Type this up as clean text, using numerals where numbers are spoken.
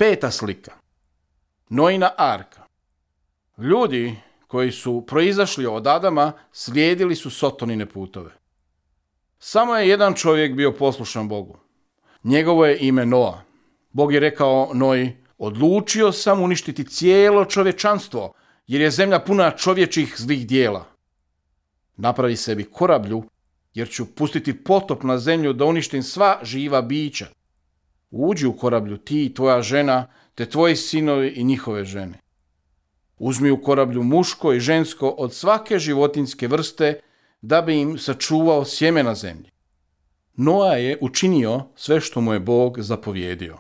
5. slika. Noina arka. Ljudi koji su proizašli od Adama slijedili su Sotonine putove. Samo je jedan čovjek bio poslušan Bogu. Njegovo je ime Noa. Bog je rekao Noji: odlučio sam uništiti cijelo čovječanstvo, jer je zemlja puna čovječih zlih dijela. Napravi sebi korablju, jer ću pustiti potop na zemlju da uništim sva živa bića. Uđi u korablju ti i tvoja žena, te tvoji sinovi i njihove žene. Uzmi u korablju muško i žensko od svake životinjske vrste, da bi im sačuvao sjeme na zemlji. Noa je učinio sve što mu je Bog zapovjedio.